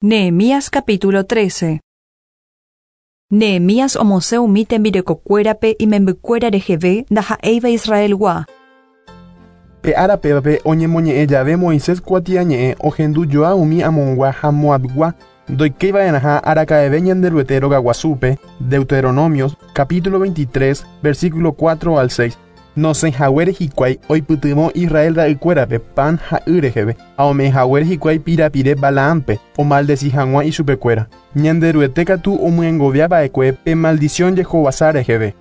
Nehemías capítulo 13. Nehemías omosẽ umi tembirekokuérape imembykuéra reheve ndaha'éiva Israelgua. Pe ára pévape oñemoñe'ẽ jave Moisés kuatiañe'ẽ ohendu joa umi Amongua ha Moabgua ndoikéiva'erãha araka'eve Ñanderuete rogaguasúpe, Deuteronomios, capítulo 23, versículo 4 al 6. Nosẽihaguére hikuái oipytyvõ Israel ra'ykuérape pan ha y reheve, ha ome'ẽhaguére hikuái pirapire Balaámpe omaldeci hag̃ua ichupekuéra. Ñanderuete katu omyengoviava'ekue pe maldición jehovasa reheve.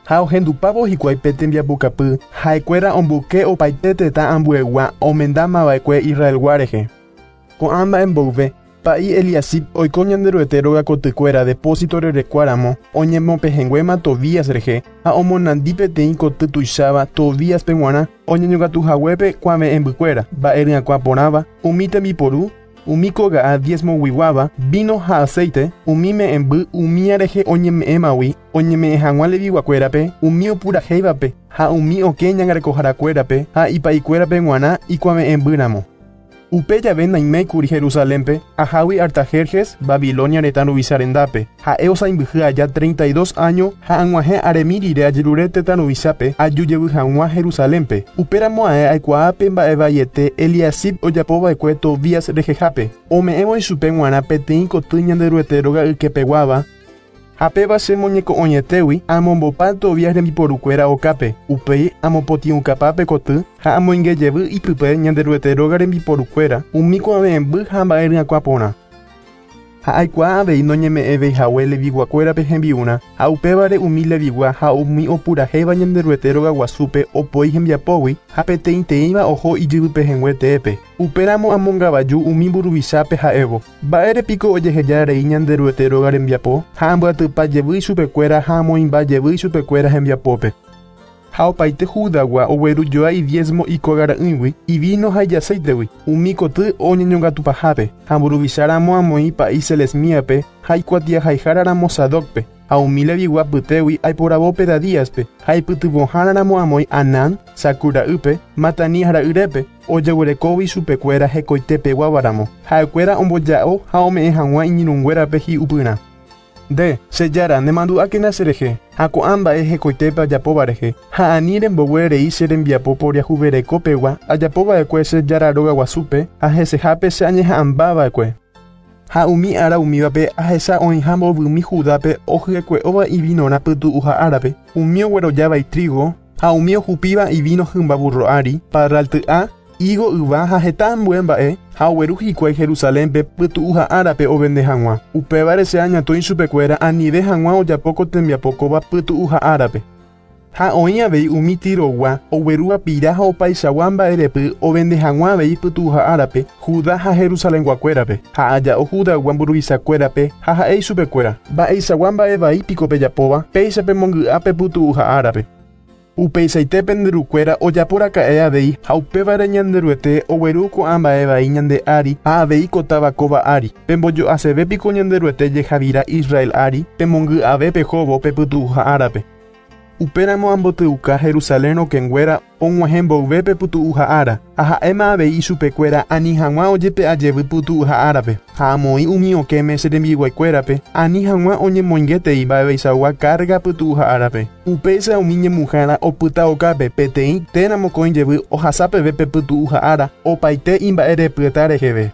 Ha ohendupávo hikuái pe tembiapokapy, ha'ekuéra omboyke opaite tetã ambuegua omendamava'ekue Israelgua rehe. Ko'ã mba'e mboyve, pa'i Eliasib oiko Ñanderuete rogakotykuéra depósito rerekuáramo oñemopehẽnguéma Tobías rehe ha omonandi peteĩ koty tuicháva Tobíaspe g̃uarã oñeñongatuhaguépe kuave'ẽmbykuéra, mba'e ryakuã porãva, umi tembiporu, umi koga'a diezmoguiguáva, vino ha aceite, umi me'ẽmby umía rehe oñeme'ẽmagui oñeme'ẽ hag̃ua leviguakuérape, umi opurahéivape ha umi okẽ ñangarekoharakuérape ha ipa'ikuérape g̃uarã ikuave'ẽmbýramo. Upe jave naiméikuri Jerusalénpe, ahágui Artajerjes, Babilonia retã ruvicha rendápe. Ha'e osãimbyhy aja 32 áño ha ag̃uahẽ aremi rire ajerure tetã ruvichápe aju jevy hag̃ua Jerusalénpe. Upéramo ae aikuaa pe mba'evaiete Eliasib ojapova'ekue Tobías rehehápe, ome'ẽvo ichupe g̃uarã peteĩ koty Ñanderuete róga ykepeguáva, Ha péva che moñeko'õietégui amombopa Tobías rembiporukuéra okápe, upéi amopotĩukapa pe koty ha amoinge jevy ipype Ñanderuete róga rembiporukuéra, umi kuave'ẽmby ha mba'e ryakuã porã. Ha aikuaa avei noñeme'ẽvéi hague Leviguakuérape hembi'urã, ha upévare umi Levigua ha umi opurahéiva Ñanderuete rogaguasúpe opoi hembiapógui ha peteĩteĩva oho ijyvypehẽngue teépe. Upéramo amongavaju umi mburuvichápe ha'évo, Mba'ére piko ojeheja rei Ñanderuete róga rembiapo, ha ambyatypa jevy ichupekuéra ha amoĩmba jevy ichupekuéra hembiapópe? Ha opaite Judagua ogueru joa idiésmo ikógara'ỹigui, ivíno ha ijaséitegui, umi koty oñeñongatupahápe, ha mburuvicha ramo amoĩ pa'i Selesmíape ha ikuatiahaihára ramo Sadócpe. Ha umi Levigua apytégui aiporavo Pedadíaspe, ha ipytyvõhára ramo amoĩ Anán, Zacur ra'ýpe, Matanías ra'yrépe, ojeguerekógui ichupekuéra hekoitepeguáva ramo, ha'ekuéra omboja'o ha ome'ẽ hag̃ua iñirũnguérape hi'upyrã. Nde, che Jára, nemandu'ákena cherehe, ha ko'ã mba'e hekoitépe ajapóva rehe, ha ani rembogue rei che rembiapo poriahuvereko pegua ajapo va'ekue che Jára róga guasúpe ha hesehápe che añeha'ãmba va'ekue. Ha umi ára umívape ahecha oĩha mbovymi Judápe ohyekue'óva ivinorã pytu'uha árape, umi oguerojáva itrígo, ha umi ohupíva ivíno hymba vúrro ári, parralty'a, ígo yva ha heta ambue mba'e, ha ogueru hikuái Jerusalénpe pytu'uha árape ovende hag̃ua. Upévare che añatõi chupekuéra anive hag̃ua ojapo ko tembiapo kóva pytu'uha árape. Ha oĩ avei umi Tirogua oguerúva pira ha opaichagua mba'erepy ovende hag̃ua avei pytu'uha árape Judá ha Jerusalenguakuérape, ha aja'o Judagua mburuvichakuérape ha ha'e ichupekuéra, Mba'eichagua mba'e vai piko pejapóva, péicha pemongy'a pe pytu'uha árape. Upeichaite pende rukuéra ojapo raka'e avei ha upévare Ñanderuete ogueru ko'ã mba'e vai ñande ári ha avei ko táva kóva ári. Pembojo'aseve piko Ñanderuete jehavira Israel ári, pemongy'ave pehóvo pe pytu'uha árape. Upéramo ambotyuka Jerusalén rokẽnguéra og̃uahẽ mboyve pe pytu'uha ára, ha ha'éma avei ichupekuéra ani hag̃ua ojepe'a jevy pytu'uha árape, ha amoĩ umi okẽme che rembiguaikuérape ani hag̃ua oñemoingetei mba'eveichagua kárga pytu'uha árape. Upéicha umi ñemuhãra opyta okápe peteĩ térã mokõi jevy ohasa peve pe pytu'uha ára opaite imba'erepyeta reheve.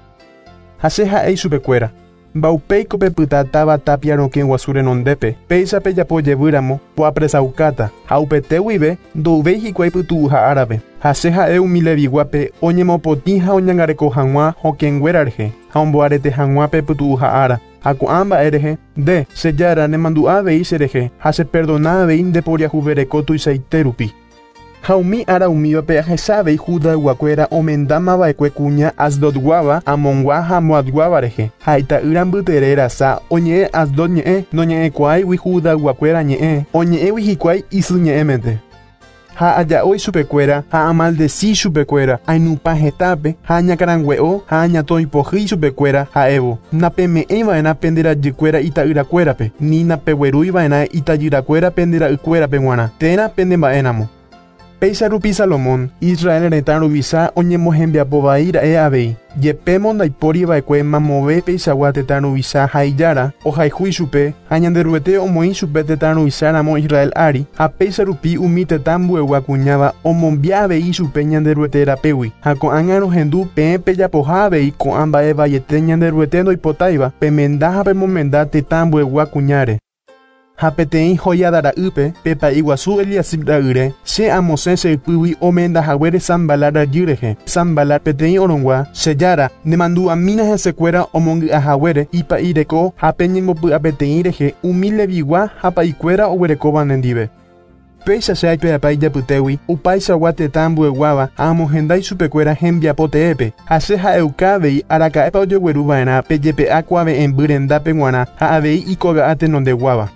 Ha che ha'e ichupekuéra, Mba'upéiko pepyta táva tápia rokẽ guasu renondépe, péicha pejapo jevy ramo, poapresaukáta, ha upete guive ndouvéi hikuái pytu'uha árape. Ha che ha'e umi Leviguápe oñemopotĩ ha oñangareko hag̃ua hokẽnguéra rehe, ha omboarete hag̃ua pe pytu'uha ára. Ha ko'ã mba'e rehe, nde, che Jára, nemandu'a avei che rehe, ha cheperdona avei nde poriahuvereko tuichaite rupi. Ha umi ára umívape ahecha avei Judayguakuéra omendámava'ekue kuña Asdodguáva, Amongua ha Moabguáva rehe, ha ita'ýra mbytere rasa oñe'ẽ Asdod ñe'ẽ, noñe'ẽkuaáigui Judayguakuéra ñe'ẽ, oñe'ẽgui hikuái isy ñe'ẽmente. Ha aja'o ichupekuéra ha amaldeci ichupekuéra, ainupã hetápe ha añakãrangue'o ha añatõi pohýi ichupekuéra, ha'évo, Napeme'ẽiva'erã pende rajykuéra ita'yrakuérape, ni napeguerúiva'erã itajyrakuéra pende ra'ykuérape g̃uarã, térã pende mba'éramo. Péicha rupi Salomón, Israel retã ruvicha oñemohembiapo vai ra'e avei. Jepémo ndaipóri va'ekue mamove peichagua tetã ruvicha ha ijára ohayhu ichupe ha Ñanderuete omoĩ chupe tetã ruvicháramo Israel ári ha péicha rupi umi tetã ambuegua kuñáva omombia avei ichupe Ñanderuete rapégui ha ko'ág̃a rohendu peẽ pejapoha avei ko'ã mba'e vaiete Ñanderuete ndoipotáiva pemenda ha pemomenda tetã ambuegua kuñáre. Ha peteĩ Joiada ra'ýpe pe pa'i guasu Eliasib ra'yre, che amosẽ che ypýgui omenda haguére Sanbalat rajy rehe. Sanbalat peteĩ orongua, che jára, nemandu'amína hesekuéra omongy'a haguére ipa'i reko ha pe ñembopy'apeteĩ rehe umi Levigua ha pa'ikuéra oguerekóva nendive. Péicha che aipe'apa ijapytégui upaichagua tetã ambueguáva ha amohenda ichupekuéra hembiapo teépe, ha che ha'euka avei araka'épa ojegueru va'erã pe jepe'a kuave'ẽmby rendápe g̃uarã ha avei ikoga'a tenondeguáva.